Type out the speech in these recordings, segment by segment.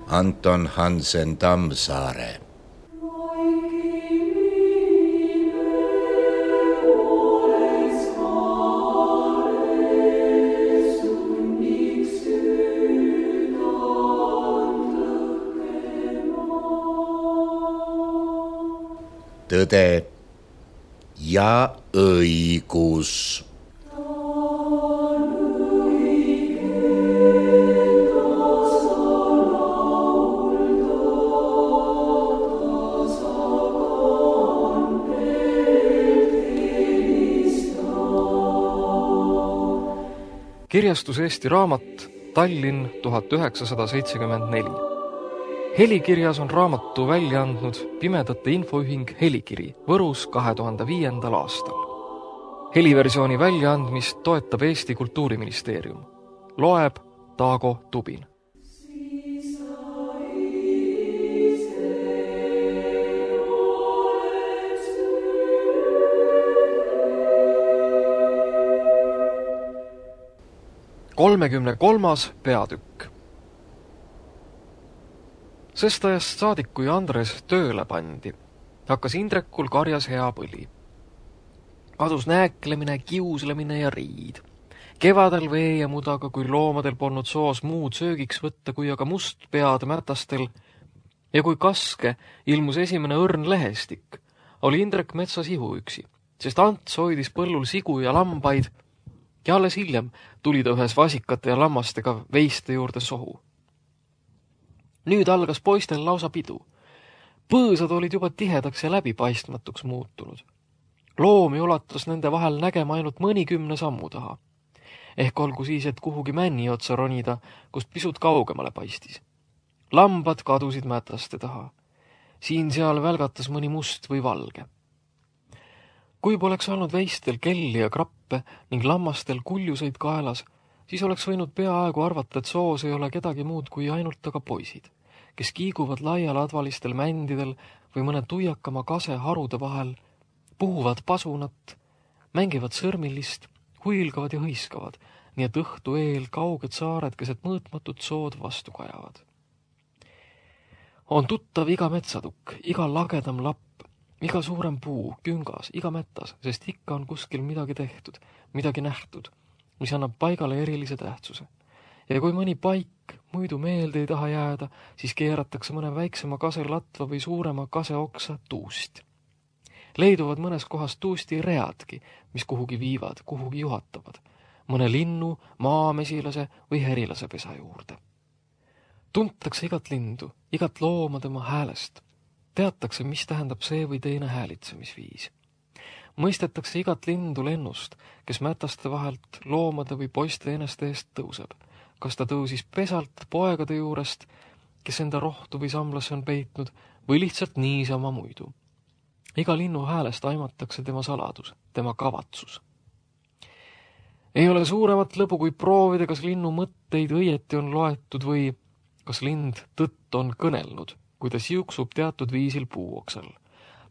Anton Hansen Tammsaare. Tõde ja õigus. Kirjastus Eesti Raamat, Tallinn 1974. Helikirjas on raamatu välja andnud Pimedate Infoühing Helikiri Võrus 2005. aastal. Heliversiooni väljaandmist toetab Eesti Kultuuriministeerium. Loeb Taago Tubin. Kolmas peatükk. Sest ajast saadik, kui Andres tööle pandi, hakkas Indrekul karjas hea põli. Kadus nääklemine, kiuslemine ja riid. Kevadel vee ja mudaga, kui loomadel polnud soos muud söögiks võtta, kui aga mustpead mätastel, ja kui kaske ilmus esimene õrn lehestik, oli Indrek metsas ihuüksi, sest Ants hoidis põllul sigu ja lambaid, ja alles hiljem tuli ta ühes vasikate ja lammastega veiste juurde sohu. Nüüd algas poistel lausa pidu. Põõsad olid juba tihedaks ja läbipaistmatuks muutunud. Loomi ulatas nende vahel nägema ainult 10 sammu taha. Ehk olgu siis, et kuhugi männi otsa ronida, kust pisut kaugemale paistis. Lambad kadusid mätaste taha. Siin-seal välgatas mõni must või valge. Kui poleks olnud veistel kelli ja krappe ning lammastel kuljuseid kaelas, siis oleks võinud peaaegu arvata, et soos ei ole kedagi muud kui ainult aga poisid, kes kiiguvad laialadvalistel mändidel või mõne tuiakama kase harude vahel, puhuvad pasunat, mängivad sõrmilist, huilgavad ja hõiskavad, nii et õhtu eel kauged saared keset mõõtmatut sood vastu kajavad. On tuttav iga metsatukk, iga lagedam lapp, iga suurem puu, küngas, iga mätas, sest ikka on kuskil midagi tehtud, midagi nähtud, mis annab paigale erilise tähtsuse. Ja kui mõni paik muidu meelde ei taha jääda, siis keeratakse mõne väiksema kase latva või suurema kase oksa tuust. Leiduvad mõnes kohas tuusti readki, mis kuhugi viivad, kuhugi juhatavad, mõne linnu, maamesilase või herilase pesa juurde. Tuntakse igat lindu, igat looma tema häälest. Teatakse, mis tähendab see või teine häälitsemisviis. Mõistetakse igat lindu lennust, kes mätaste vahelt loomade või poiste eneste eest tõuseb. Kas ta tõusis pesalt poegade juurest, kes enda rohtu või samlasse on peitnud, või lihtsalt niisama muidu. Iga linnu häälest aimatakse tema saladus, tema kavatsus. Ei ole suuremat lõbu kui proovida, kas linnu mõtteid õieti on loetud või kas lind tõtt on kõnelnud, kui ta siuksub teatud viisil puuoksal.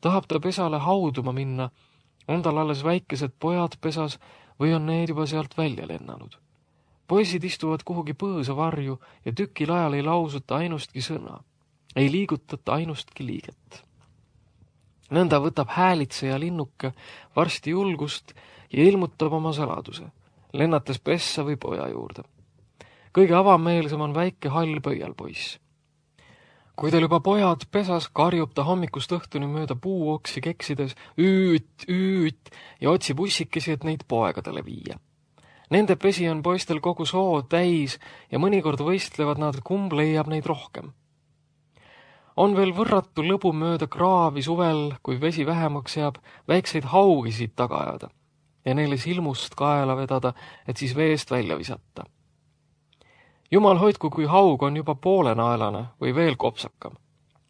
Tahab ta pesale hauduma minna, on tal alles väikesed pojad pesas või on need juba sealt välja lennanud. Poisid istuvad kuhugi põõsa varju ja tükil ajal ei lausuta ainustki sõna, ei liigutata ainustki liiget. Nõnda võtab häälitseja linnuke varsti julgust ja ilmutab oma saladuse, lennates pessa või poja juurde. Kõige avameelsem on väike hall pöialpoiss. Kui teil juba pojad pesas, karjub ta hommikust õhtuni mööda puuoksi keksides üüt ja otsib ussikesi, et neid poegadele viia. Nende pesi on poistel kogu soo täis ja mõnikord võistlevad nad, kumb leiab neid rohkem. On veel võrratu lõbu mööda kraavi suvel, kui vesi vähemaks jääb, väikseid haugisid taga ajada ja neile silmust kaela vedada, et siis veest välja visata. Jumal hoidku, kui haug on juba poolenaelane või veel kopsakam.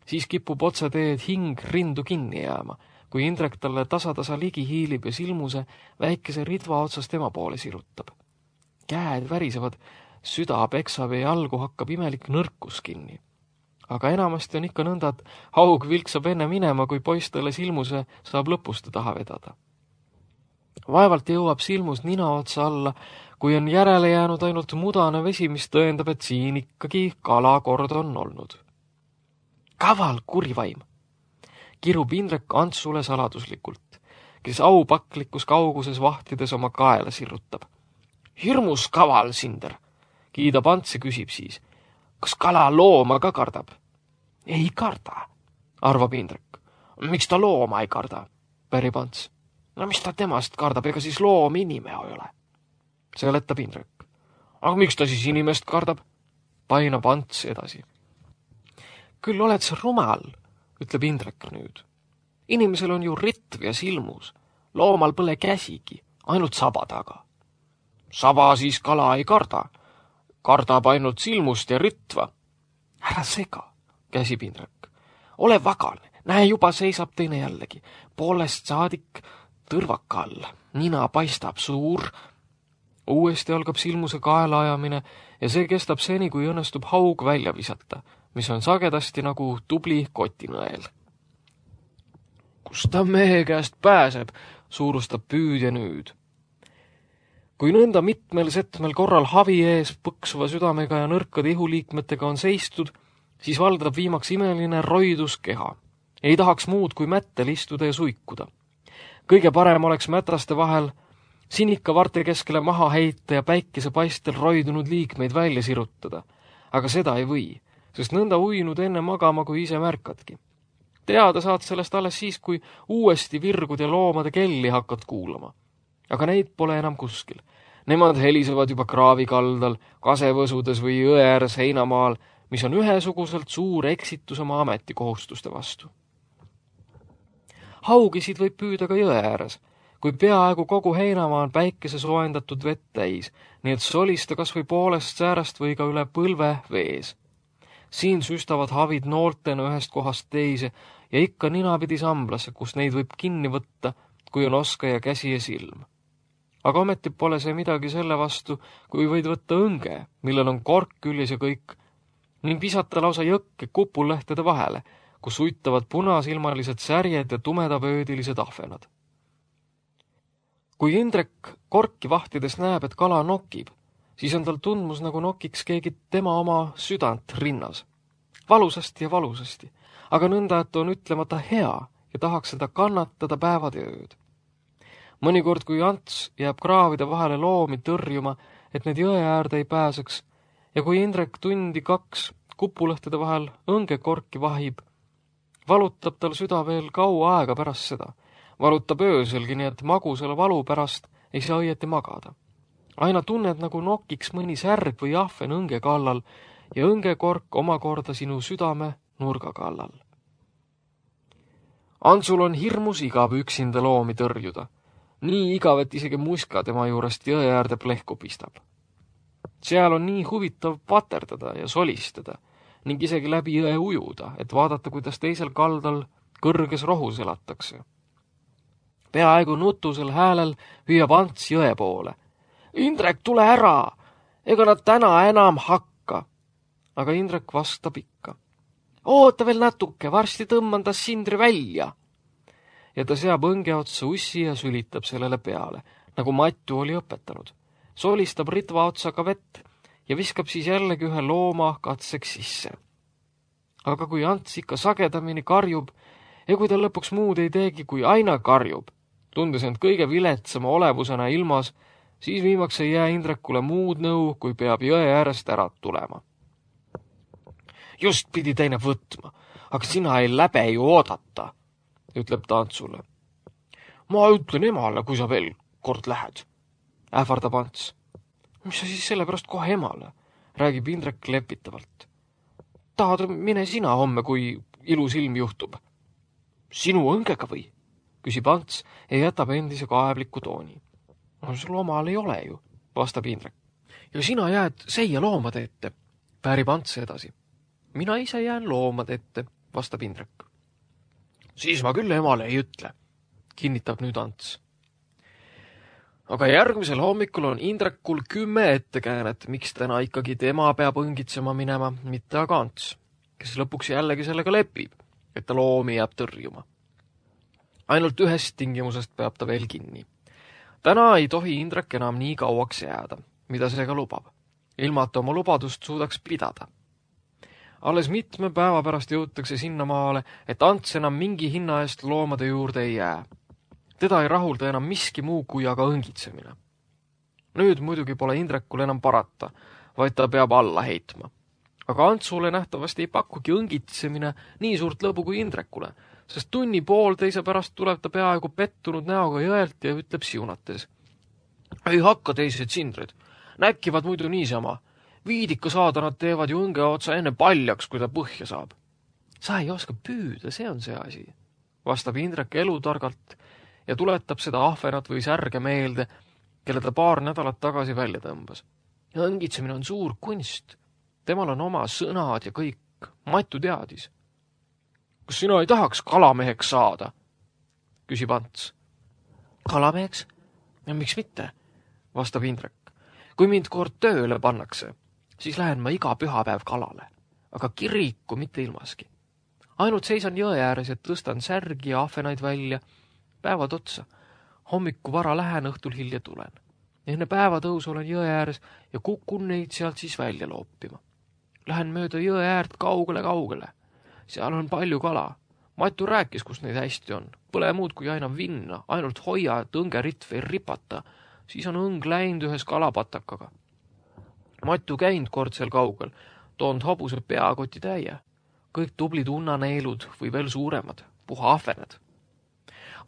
Siis kipub otse teed hing rindu kinni jääma, kui Indrek talle tasa ligi hiilib ja silmuse väikese ridva otsas tema poole sirutab. Käed värisevad, süda peksab ja jalgu hakkab imelik nõrkus kinni. Aga enamasti on ikka nõnda, et haug vilksab enne minema, kui poiss talle silmuse saab lõpuste taha vedada. Vaevalt jõuab silmus nina otsa alla, kui on järele jäänud ainult mudane vesi, mis tõendab, et siin ikkagi kalakord on olnud. Kaval kurivaim, kirub Indrek Antsule saladuslikult, kes aupaklikus kauguses vahtides oma kaela sirrutab. Hirmus kaval, Sinder, kiidab Ants ja küsib siis, kas kala looma ka kardab? Ei karda, arvab Indrek. Miks ta looma ei karda? Pärib Ants. No mis ta temast kardab, ega siis loom inime ei ole? Seletab Indrek. Aga miks ta siis inimest kardab? Painab Ants edasi. Küll oled sa rumal, ütleb Indrek nüüd. Inimesel on ju ritv ja silmus. Loomal põle käsigi, ainult saba taga. Saba siis kala ei karda. Kardab ainult silmust ja ritva. Ära sega, käsib Indrek. Ole vagane, näe juba seisab teine jällegi. Poolest saadik tõrvaka all. Nina paistab suur. Uuesti algab silmuse kaela ajamine ja see kestab seni, kui õnnestub haug välja visata, mis on sagedasti nagu tubli kotinõel. Kus ta mehe käest pääseb, suurustab püüdja nüüd. Kui nõnda mitmel setmel korral havi ees põksuva südamega ja nõrkade ihuliikmetega on seistud, siis valdab viimaks imeline roidus keha. Ei tahaks muud kui mättel istuda ja suikuda. Kõige parem oleks mätraste vahel sinika varte keskele maha heita ja päikese paistel roidunud liikmeid välja sirutada. Aga seda ei või, sest nõnda uinud enne magama, kui ise märkadki. Teada saad sellest alles siis, kui uuesti virgud ja loomade kelli hakkad kuulama. Aga neid pole enam kuskil. Nemad helisevad juba kraavi kaldal, kasevõsudes või jõe ääres heinamaal, mis on ühesuguselt suur eksitus oma ametikohustuste vastu. Haugisid võib püüda ka jõe ääres, kui peaaegu kogu heinamaa on päikese soojendatud vett täis, nii et solista kas või poolest säärast või ka üle põlve vees. Siin süstavad havid nooltena ühest kohast teise ja ikka ninapidi samblasse, kus neid võib kinni võtta, kui on oskaja käsi ja silm. Aga ometi pole see midagi selle vastu, kui võid võtta õnge, millel on kork küljes ja kõik, ning visata lausa jõkke kupullehtede vahele, kus uitavad punasilmalised särjed ja tumedapöödilised ahvenad. Kui Indrek korki vahtides näeb, et kala nokib, siis on tal tundmus, nagu nokiks keegi tema oma südant rinnas. Valusasti ja valusasti, aga nõnda, et on ütlemata hea ja tahaks seda kannatada päevad ja ööd. Mõnikord, kui Ants jääb kraavide vahele loomi tõrjuma, et need jõe äärde ei pääseks, ja kui Indrek tundi 2 kupulõhtede vahel õngekorki vahib, valutab tal süda veel kaua aega pärast seda. Valutab ööselgi, nii et magusale valu pärast ei saa õieti magada. Aina tunned, nagu nokiks mõni särg või ahven õnge kallal ja õngekork omakorda sinu südame nurga kallal. Antsul on hirmus igav üksinda loomi tõrjuda. Nii igav, et isegi muska tema juurest jõe äärde plehku pistab. Seal on nii huvitav paterdada ja solistada ning isegi läbi jõe ujuda, et vaadata, kuidas teisel kaldal kõrges rohus elatakse. Peaaegu nutusel häälel hüüab Ants jõe poole. Indrek, tule ära! Ega nad täna enam hakka! Aga Indrek vastab ikka. Oota veel natuke, varsti tõmban ta Sindri välja! Ja ta seab õnge otsa ussi ja sülitab sellele peale, nagu Matju oli õpetanud. Solistab ritva otsaga vett ja viskab siis jällegi ühe looma katseks sisse. Aga kui Ants ikka sagedamini karjub ja kui ta lõpuks muud ei teegi, kui aina karjub, tundes end kõige viletsama olevusena ilmas, siis viimaks ei jää Indrekule muud nõu, kui peab jõe äärest ära tulema. Just pidi teine võtma, aga sina ei läbe ju oodata, ütleb ta Antsule. Ma ütlen emale, kui sa veel kord lähed, ähvardab Ants. Mis sa siis sellepärast kohe emale, räägib Indrek lepitavalt. Tahad mine sina homme, kui ilus ilm juhtub? Sinu õngega või? Küsib Ants ja jätab endise kaebliku tooni. No sul omal ei ole ju, vastab Indrek. Ja sina jääd seia loomade ette, päärib Ants edasi. Mina ise jään loomade ette, vastab Indrek. Siis ma küll emale ei ütle, kinnitab nüüd Ants. Aga järgmisel hommikul on Indrekul 10 ettekäänet, miks täna ikkagi tema peab õngitsema minema, mitte aga Ants, kes lõpuks jällegi sellega lepib, et ta loomi jääb tõrjuma. Ainult ühest tingimusest peab ta veel kinni. Täna ei tohi Indrek enam nii kauaks jääda, mida see ka lubab, ilma et oma lubadust suudaks pidada. Alles mitme päeva pärast jõutakse sinnamaale, et Ants enam mingi hinna eest loomade juurde ei jää. Teda ei rahulda enam miski muu kui aga õngitsemine. Nüüd muidugi pole Indrekul enam parata, vaid ta peab alla heitma. Aga Antsule nähtavasti ei pakugi õngitsemine nii suurt lõbu kui Indrekule, sest tunni pool teise pärast tuleb ta peaaegu pettunud näoga jõelt ja ütleb siunates. Ei hakka teised sindrid, näkivad muidu niisama. Viidika saada nad teevad ju õnge otsa enne paljaks, kui ta põhja saab. Sa ei oska püüda, see on see asi, vastab Indrek elutargalt ja tuletab seda ahvenat või särge meelde, kelle ta paar nädalat tagasi välja tõmbas. Õngitsemine on suur kunst. Temal on oma sõnad ja kõik. Matu teadis. Kas sina ei tahaks kalameheks saada? Küsib Ants. Kalameheks? Ja miks mitte? Vastab Indrek. Kui mind kord tööle pannakse, siis lähen ma iga pühapäev kalale, aga kiriku mitte ilmaski. Ainult seisan jõe ääres ja tõstan särgi ja ahvenaid välja. Päevad otsa. Hommiku vara lähen, õhtul hilja tulen. Enne päevatõus olen jõe ääres ja kukun neid sealt siis välja loopima. Lähen mööda jõe äärt kaugele. Seal on palju kala. Matu rääkis, kus neid hästi on. Põle muud kui aina vinna, ainult hoia, et õngeritv ei ripata. Siis on õng läinud ühes kalapatakaga. Matu käinud kord seal kaugel, toonud hobuse peakoti täie. Kõik tublid unnaneelud või veel suuremad, puha ahvened.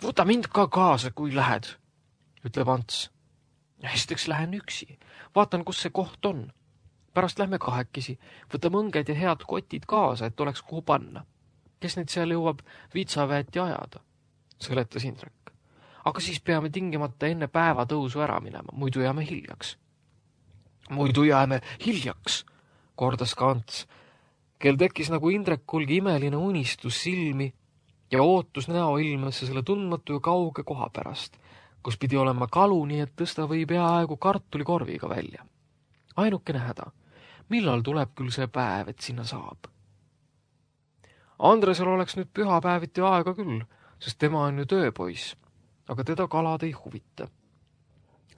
Võta mind ka kaasa, kui lähed, ütleb Ants. Esiteks lähen üksi, vaatan, kus see koht on. Pärast lähme kahekesi, võtame õnged ja head kotid kaasa, et oleks kuhu panna. Kes neid seal jõuab vitsaväeti ajada, seletas Indrek. Aga siis peame tingimata enne päevatõusu ära minema, muidu jääme hiljaks. Muidu jääme hiljaks, kordas ka Ants, kel tekkis nagu Indrekulgi imeline unistus silmi ja ootus näoilmesse selle tundmatu ja kauge koha pärast, kus pidi olema kalu, nii et tõsta või peaaegu kartulikorviga välja. Ainukene häda, millal tuleb küll see päev, et sinna saab? Andresel oleks nüüd pühapäeviti aega küll, sest tema on ju tööpoiss, aga teda kalad ei huvita.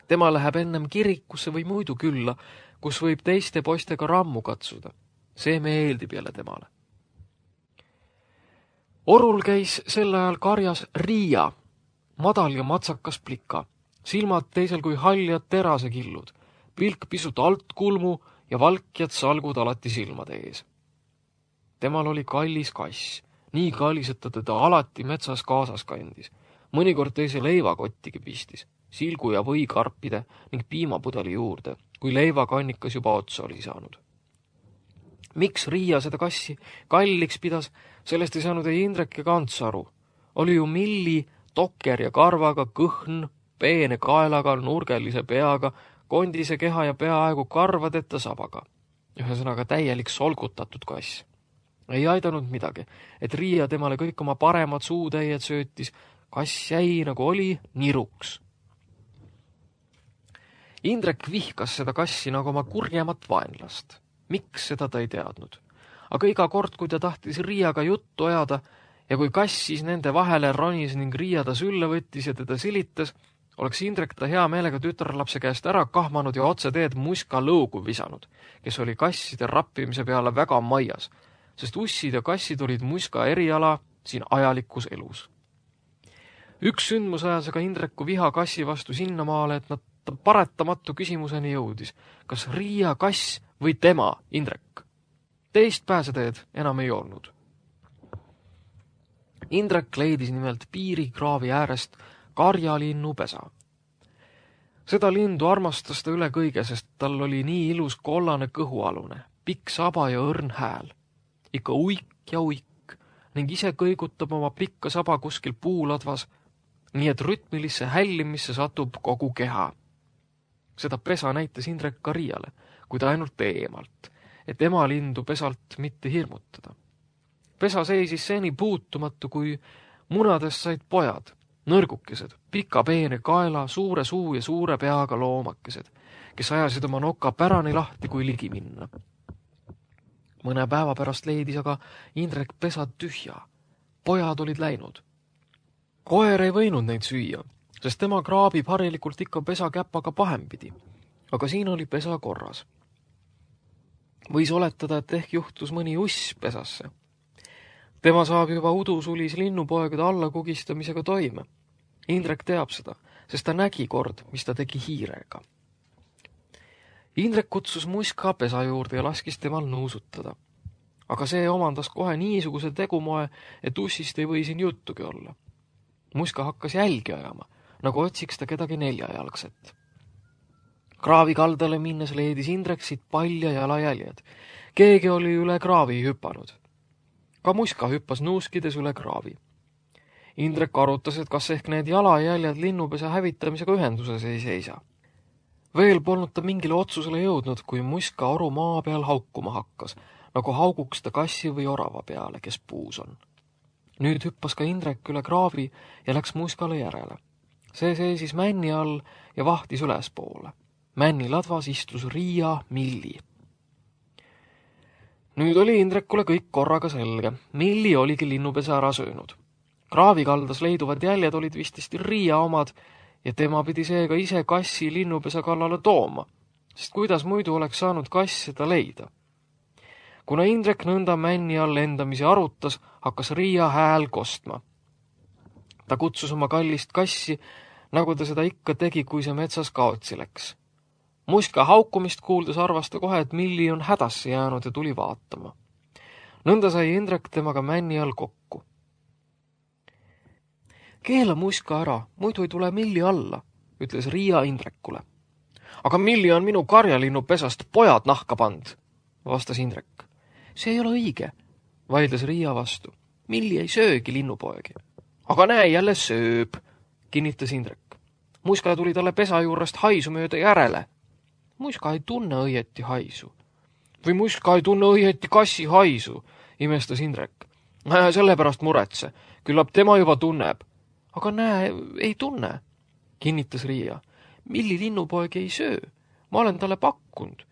Tema läheb ennem kirikusse või muidu külla, kus võib teiste poistega rammu katsuda. See meeldib jälle temale. Orul käis sel ajal karjas Riia, madal ja matsakas plika, silmad teisel kui haljad terasekillud, pilk pisut altkulmu ja valkjad salgud alati silmade ees. Temal oli kallis kass, nii kallis, et ta teda alati metsas kaasas kandis. Mõnikord teise leivakottigi pistis, silgu ja võikarpide ning piimapudeli juurde, kui leivakannikas juba otsa oli saanud. Miks Riia seda kassi kalliks pidas, sellest ei saanud ei Indrek ega Ants aru. Oli ju Milli, tokker ja karvaga, kõhn, peene kaelaga, nurgelise peaga, kondise keha ja peaaegu karvadeta sabaga. Ühesõnaga täielik solgutatud kass. Ei aidanud midagi, et Riia temale kõik oma paremad suutäied söötis, kass jäi nagu oli niruks. Indrek vihkas seda kassi nagu oma kurjemat vaenlast. Miks seda ta ei teadnud. Aga iga kord, kui ta tahtis Riiaga juttu ajada ja kui kass siis nende vahele ronis ning Riia ta sülle võttis ja teda silitas, oleks Indrek ta hea meelega tütarlapse käest ära kahmanud ja otse teed muska lõugu visanud, kes oli kasside rappimise peale väga maias, sest ussid ja kassid olid muska eriala siin ajalikus elus. Üks sündmus ajas aga Indreku viha kassi vastu sinnamaale, et nad paretamatu küsimuseni jõudis. Kas Riia kass või tema, Indrek? Teist pääseteed enam ei olnud. Indrek leidis nimelt piirikraavi äärest karjalinnu pesa. Seda lindu armastas ta üle kõige, sest tal oli nii ilus kollane kõhualune, pikk saba ja õrn hääl. Ikka uik ja uik ning ise kõigutab oma pikka saba kuskil puuladvas, nii et rütmilisse hällimisse satub kogu keha. Seda pesa näitas Indrek ka Riiale, kui ta ainult eemalt, et ema lindu pesalt mitte hirmutada. Pesa seisis seni puutumatu, kui munadest said pojad, nõrgukesed, pika peene kaela, suure suu ja suure peaga loomakesed, kes ajasid oma noka pärani lahti, kui ligi minna. Mõne päeva pärast leidis aga Indrek pesad tühja. Pojad olid läinud. Koer ei võinud neid süüa, sest tema kraabib harilikult ikka pesa käpaga pahempidi, aga siin oli pesa korras. Võis oletada, et ehk juhtus mõni uss pesasse. Tema saab juba udusulis linnupoegade allakugistamisega toime. Indrek teab seda, sest ta nägi kord, mis ta tegi hiirega. Indrek kutsus Muska pesa juurde ja laskis temal nuusutada. Aga see omandas kohe niisuguse tegumoe, et ussist ei või siin juttugi olla. Muska hakkas jälgi ajama, nagu otsiks ta kedagi neljajalgset. Kraavi kaldale minnes leedis Indrek siit palja jalajäljed. Keegi oli üle kraavi hüpanud. Ka Muska hüppas nuuskides üle kraavi. Indrek arutas, et kas ehk need jalajäljed linnupesa hävitamisega ühenduses ei seisa. Veel polnud ta mingile otsusele jõudnud, kui Muska oru maa peal haukuma hakkas, nagu hauguks ta kassi või orava peale, kes puus on. Nüüd hüppas ka Indrek üle kraavi ja läks Muskale järele. See seisis männi all ja vahtis ülespoole. Männi ladvas istus Riia Milli. Nüüd oli Indrekule kõik korraga selge. Milli oligi linnupesa ära söönud. Kraavi kaldas leiduvad jäljed olid vististi Riia omad ja tema pidi seega ise kassi linnupesa kallale tooma, sest kuidas muidu oleks saanud kass seda leida. Kuna Indrek nõnda männi all endamisi arutas, hakkas Riia hääl kostma. Ta kutsus oma kallist kassi, nagu ta seda ikka tegi, kui see metsas kaotsi läks. Muska haukumist kuuldes arvas ta kohe, et Milli on hädasse jäänud ja tuli vaatama. Nõnda sai Indrek temaga männi all kokku. Keela Muska ära, muidu ei tule Milli alla, ütles Riia Indrekule. Aga Milli on minu karjalinnu pesast pojad nahka pand, vastas Indrek. See ei ole õige, vaidles Riia vastu. Milli ei söögi linnupoegi. Aga näe, jälle sööb, kinnitas Indrek. Muska tuli talle pesa juurest haisu mööda järele. Muska ei tunne õieti haisu. Või Muska ei tunne õieti kassi haisu, imestas Indrek. Sellepärast muretse, küllap tema juba tunneb. Aga näe, ei tunne, kinnitas Riia. Milli linnupoegi ei söö, ma olen talle pakkunud.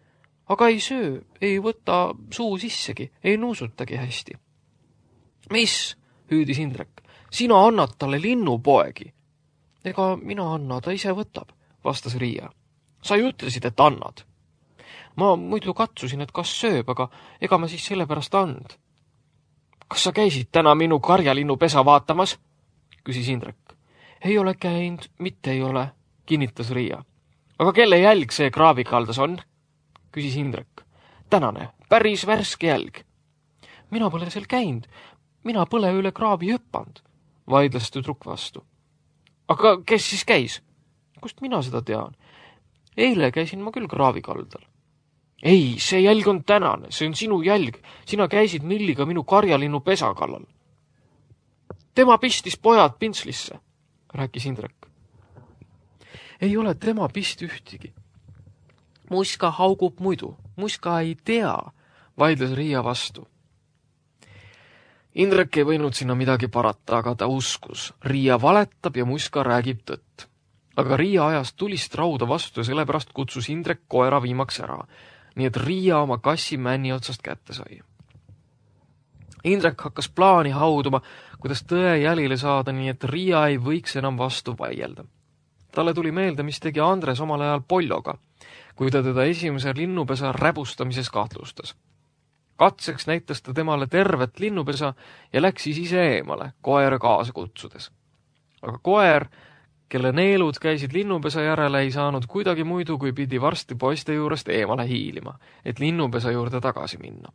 Aga ei söö, ei võta suu sissegi, ei nuusutagi hästi. Mis, hüüdis Indrek, sina annad talle linnupoegi. Ega mina anna, ta ise võtab, vastas Riia. Sa ju ütlesid, et annad. Ma muidu katsusin, et kas sööb, aga ega ma siis sellepärast and. Kas sa käisid täna minu karjalinnu pesa vaatamas? Küsis Indrek. Ei ole käinud, mitte ei ole, kinnitas Riia. Aga kelle jälg see kraavikaldas on? Küsis Indrek. Tänane, päris värske jälg. Mina pole seal käinud, mina pole üle kraavi hüppanud, vaidles tüdruk vastu. Aga kes siis käis? Kust mina seda tean? Eile käisin ma küll kraavikaldal. Ei, see jälg on tänane, see on sinu jälg. Sina käisid Milliga minu karjalinnu pesa kallal. Tema pistis pojad pintslisse, rääkis Indrek. Ei ole tema pist ühtigi. Muska haugub muidu, Muska ei tea, vaidles Riia vastu. Indrek ei võinud sinna midagi parata, aga ta uskus. Riia valetab ja Muska räägib tõtt. Aga Riia ajas tulist rauda vastu ja sellepärast kutsus Indrek koera viimaks ära, nii et Riia oma kassi männi otsast kätte sai. Indrek hakkas plaani hauduma, kuidas tõe jälile saada, nii et Riia ei võiks enam vastu vaielda. Talle tuli meelde, mis tegi Andres omal ajal Polloga, kui ta teda esimese linnupesa räbustamises kahtlustas. Katseks näitas ta temale tervet linnupesa ja läks siis ise eemale, koera kaasa kutsudes. Aga koer, kelle neelud käisid linnupesa järele, ei saanud kuidagi muidu, kui pidi varsti poiste juurest eemale hiilima, et linnupesa juurde tagasi minna.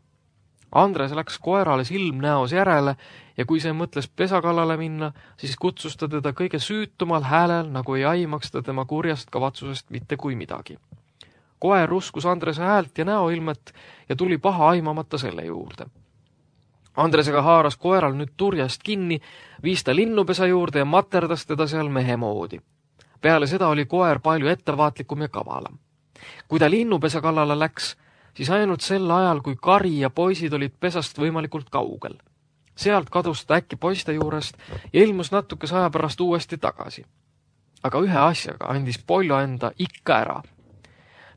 Andres läks koerale silm näos järele ja kui see mõtles pesa kallale minna, siis kutsus ta teda kõige süütumal häälel, nagu ei aimaks ta tema kurjast kavatsusest mitte kui midagi. Koer uskus Andrese häält ja näoilmet ja tuli paha aimamata selle juurde. Andresega haaras koeral nüüd turjast kinni, viis ta linnupesa juurde ja materdas teda seal mehe moodi. Peale seda oli koer palju ettevaatlikum ja kavalam. Kui ta linnupesa kallale läks, siis ainult sel ajal, kui Kari ja poisid olid pesast võimalikult kaugel. Sealt kadus ta äkki poiste juurest ja ilmus natukese aja pärast uuesti tagasi. Aga ühe asjaga andis Pollo enda ikka ära.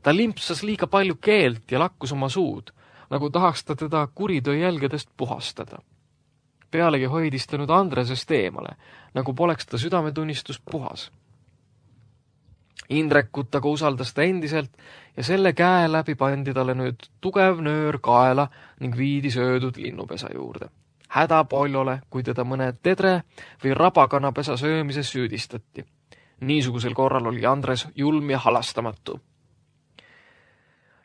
Ta limpsas liiga palju keelt ja lakkus oma suud, nagu tahaks ta teda kuritöö jälgedest puhastada. Pealegi hoidis ta nüüd Andresest eemale, nagu poleks ta südametunnistus puhas. Indrekut aga usaldas ta endiselt ja selle käe läbi pandi talle nüüd tugev nöör kaela ning viidi söödud linnupesa juurde. Häda Poljole, kui teda mõne tedre või rabakanapesa söömises süüdistati. Niisugusel korral oli Andres julm ja halastamatu.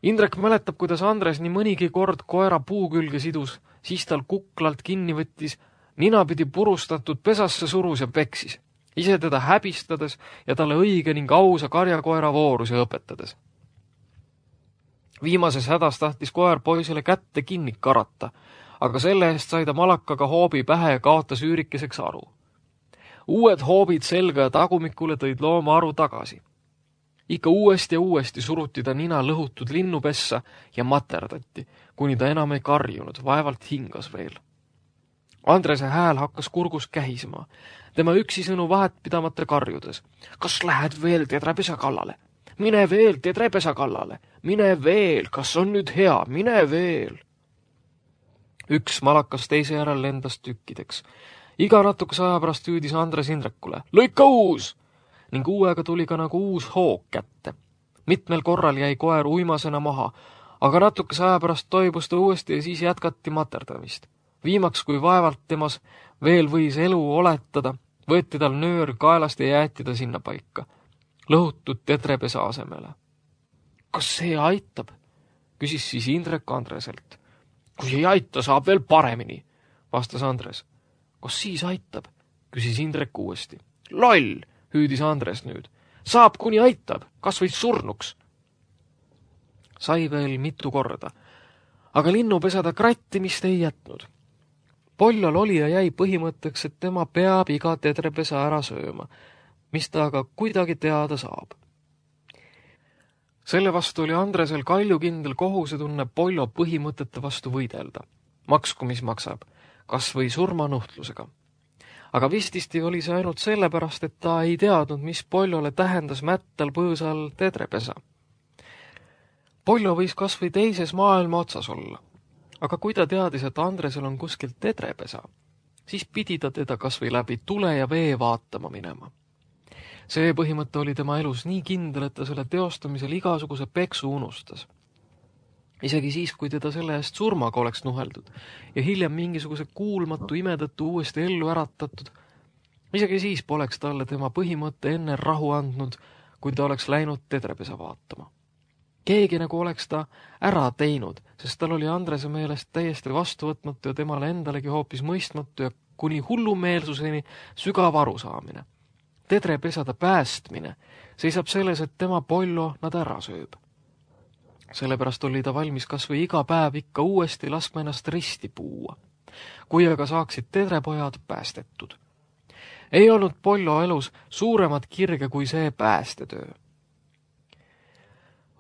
Indrek mäletab, kuidas Andres nii mõnigi kord koera puu külge sidus, siis tal kuklalt kinni võttis, ninapidi purustatud pesasse surus ja peksis, ise teda häbistades ja talle õige ning ausa karjakoera voorusi õpetades. Viimases hädas tahtis koer poisile kätte kinni karata, aga selle eest sai ta malakaga hoobi pähe ja kaotas üürikeseks aru. Uued hoobid selga ja tagumikule tõid looma aru tagasi. Ikka uuesti ja uuesti suruti ta nina lõhutud linnupessa ja materdati, kuni ta enam ei karjunud, vaevalt hingas veel. Andrese hääl hakkas kurgus kähisema. Tema üksisõnu vahet pidamata karjudes. Kas lähed veel tedrepesa kallale? Mine veel tedrepesa kallale. Mine veel, kas on nüüd hea? Mine veel. Üks malakas teise järel lendas tükkideks. Iga natukese aja pärast hüüdis Andres Indrekule. Lõika uus! Ning uuega tuli ka nagu uus hoog kätte. Mitmel korral jäi koer uimasena maha, aga natukese aja pärast toibus ta uuesti ja siis jätkati materdamist. Viimaks, kui vaevalt temas veel võis elu oletada, võeti tal nöör kaelast ja jäeti ta sinna paika, lõhutud tedrepesa asemele. Kas see aitab? Küsis siis Indrek Andreselt. Kui ei aita, saab veel paremini, vastas Andres. Kas siis aitab? Küsis Indrek uuesti. Loll, hüüdis Andres nüüd. Saab, kuni aitab, kas või surnuks. Sai veel mitu korda, aga linnupesada krattimist ei jätnud. Poljal oli ja jäi põhimõtteks, et tema peab iga tedrepesa ära sööma, mis ta aga kuidagi teada saab. Selle vastu oli Andresel kaljukindel kohusetunne Poljo põhimõtete vastu võidelda. Maksku, mis maksab, kas või surmanuhtlusega. Aga vististi oli see ainult sellepärast, et ta ei teadnud, mis Poljole tähendas mättal põõsal tedrepesa. Poljo võis kas või teises maailma otsas olla. Aga kui ta teadis, et Andresel on kuskilt tedrepesa, siis pidi ta teda kas või läbi tule ja vee vaatama minema. See põhimõte oli tema elus nii kindel, et ta selle teostamisel igasuguse peksu unustas. Isegi siis, kui teda selle eest surmaga oleks nuheldud ja hiljem mingisuguse kuulmatu ime tõttu uuesti ellu äratatud, isegi siis poleks talle tema põhimõte enne rahu andnud, kui ta oleks läinud tedrepesa vaatama. Keegi nagu oleks ta ära teinud, sest tal oli Andrese meelest täiesti vastuvõtmatu ja temale endalegi hoopis mõistmatu ja kuni hullumeelsuseni sügav arusaamine. Tedrepesada päästmine seisab selles, et tema Poljo nad ära sööb. Sellepärast oli ta valmis kas või iga päev ikka uuesti laskma ennast risti puua, kui aga saaksid tedrepojad päästetud. Ei olnud Poljo elus suuremat kirge kui see päästetöö.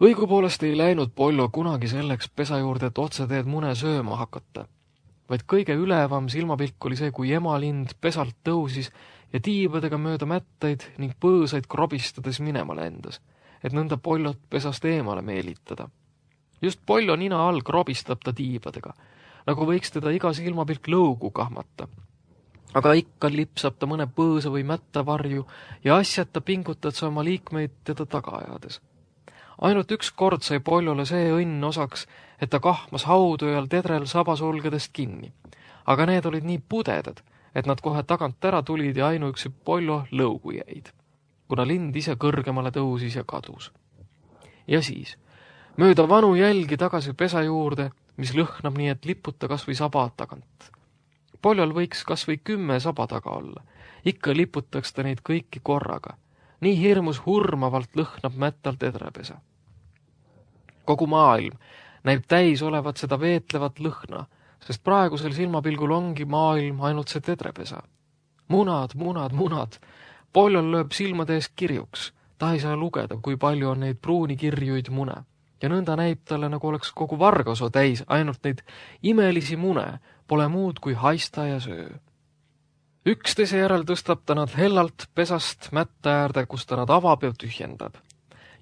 Õigupoolest ei läinud Poljo kunagi selleks pesa juurde, et otseteed mune sööma hakata, vaid kõige ülevam silmapilk oli see, kui emalind pesalt tõusis ja tiibadega mööda mättaid ning põõsaid krobistades minema lendas, et nõnda Poljot pesast eemale meelitada. Just Poljo nina all krobistab ta tiibadega, nagu võiks teda iga silmapilk lõugu kahmata. Aga ikka lipsab ta mõne põõsa või mätta varju ja asjata pingutad sa oma liikmeid teda taga ajades. Ainult üks kord sai Poljole see õnn osaks, et ta kahmas haudu ajal tedrel sabasulgedest kinni. Aga need olid nii pudedad, et nad kohe tagant ära tulid ja ainuüksi Poljo lõugu jäid, kuna lind ise kõrgemale tõusis ja kadus. Ja siis, mööda vanu jälgi tagasi pesa juurde, mis lõhnab nii, et liputa kas või saba tagant. Poljol võiks kas või 10 saba taga olla. Ikka liputaks ta neid kõiki korraga. Nii hirmus hurmavalt lõhnab mättal tedrepesa. Kogu maailm näib täis olevat seda veetlevat lõhna, sest praegusel silmapilgul ongi maailm ainult see tedrepesa. Munad, munad, munad. Poljol lööb silmade ees kirjuks. Ta ei saa lugeda, kui palju on neid pruuni kirjuid mune. Ja nõnda näib talle, nagu oleks kogu Vargaso täis ainult neid imelisi mune, pole muud kui haista ja söö. Üksteise järel tõstab ta nad hellalt pesast mätta äärde, kus ta nad avab ja tühjendab.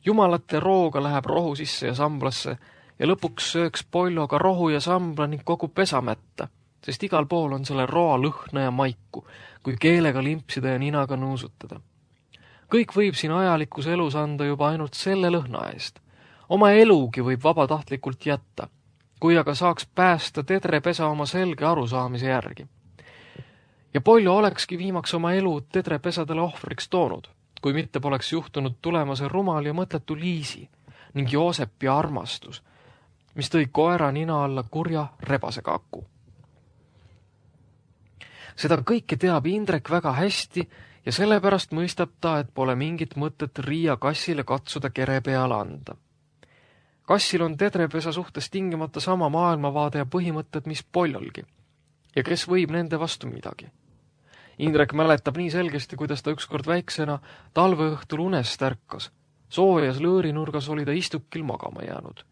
Jumalate rooga läheb rohu sisse ja samblasse ja lõpuks sööks Poljo ka rohu ja sambla ning kogu pesamätta, sest igal pool on selle roa lõhna ja maiku, kui keelega limpsida ja ninaga nuusutada. Kõik võib siin ajalikus elus anda juba ainult selle lõhna eest. Oma elugi võib vabatahtlikult jätta, kui aga saaks päästa tedrepesa oma selge arusaamise järgi. Ja Poljo olekski viimaks oma elu tedrepesadele ohvriks toonud, kui mitte poleks juhtunud tulema see rumal ja mõttetu Liisi ning Joosepi armastus, mis tõi koera nina alla kurja rebase kaku. Seda kõike teab Indrek väga hästi ja sellepärast mõistab ta, et pole mingit mõtet Riia kassile katsuda kere peale anda. Kassil on tedrepesa suhtes tingimata sama maailmavaade ja põhimõtted, mis Poljolgi. Ja kes võib nende vastu midagi? Indrek mäletab nii selgesti, kuidas ta ükskord väiksena talveõhtul unest ärkas. Soojas lõõrinurgas oli ta istukil magama jäänud,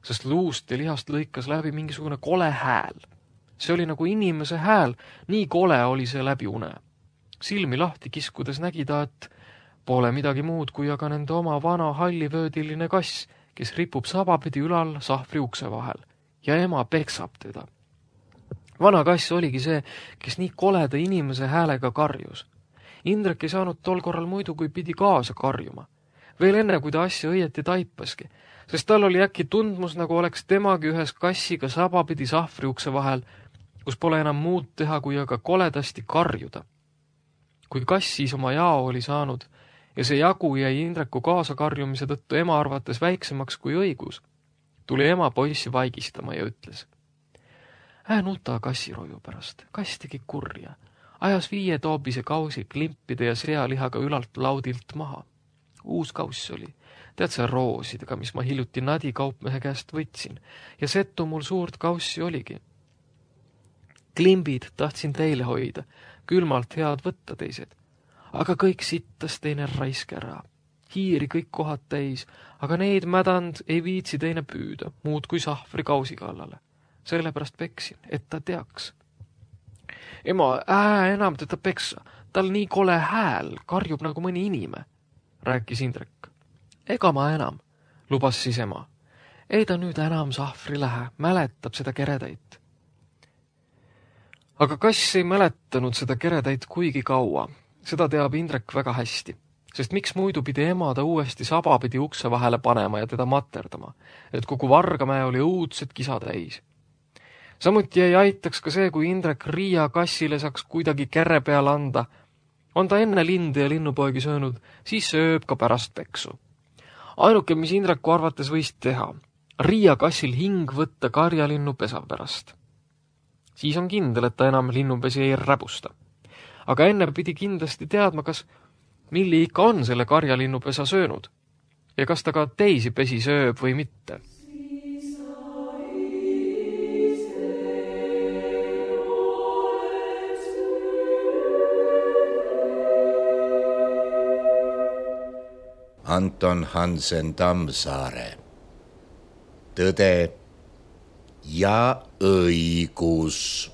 sest luust ja lihast lõikas läbi mingisugune kole hääl. See oli nagu inimese hääl, nii kole oli see läbi une. Silmi lahti kiskudes nägi ta, et pole midagi muud kui aga nende oma vana hallivöödiline kass, kes ripub sabapidi ülal sahvri ukse vahel ja ema peksab teda. Vana kass oligi see, kes nii koleda inimese häälega karjus. Indrek ei saanud tol korral muidu, kui pidi kaasa karjuma. Veel enne, kui ta asja õieti taipaski, sest tal oli äkki tundmus, nagu oleks temagi ühes kassiga sabapidi sahvri ukse vahel, kus pole enam muud teha, kui aga koledasti karjuda. Kui kass siis oma jao oli saanud ja see jagu jäi Indreku kaasakarjumise tõttu ema arvates väiksemaks kui õigus, tuli ema poissi vaigistama ja ütles: nuta kassiroju pärast, kass tegi kurja, ajas 5 toobise kausi klimpide ja sealihaga ülalt laudilt maha. Uus kauss oli, tead sa roosidega, mis ma hiljuti Nadi kaupmehe käest võtsin, ja setu mul suurt kaussi oligi. Klimbid tahtsin teile hoida, külmalt head võtta teised, aga kõik sittas teine raisk ära. Hiiri kõik kohad täis, aga neid mädand ei viitsi teine püüda, muud kui sahvri kausi kallale. Sellepärast peksin, et ta teaks. Ema, enam teda peksa, tal nii kole hääl, karjub nagu mõni inime, rääkis Indrek. Ega ma enam, lubas siis ema. Ei ta nüüd enam sahvri lähe, mäletab seda keretäit. Aga kass ei mäletanud seda keretäit kuigi kaua. Seda teab Indrek väga hästi, sest miks muidu pidi ema ta uuesti sabapidi ukse vahele panema ja teda materdama, et kogu Vargamäe oli õudsed kisa täis. Samuti ei aitaks ka see, kui Indrek Riia kassile saaks kuidagi kere peale anda. On ta enne linde ja linnupoegi söönud, siis sööb ka pärast peksu. Ainuke, mis Indreku arvates võis teha, Riia kassil hing võtta karjalinnu pesa pärast. Siis on kindel, et ta enam linnupesi ei räbusta. Aga enne pidi kindlasti teadma, kas Milli ikka on selle karjalinnupesa söönud ja kas ta ka teisi pesi sööb või mitte. Anton Hansen Tammsaare. Tõde ja õigus.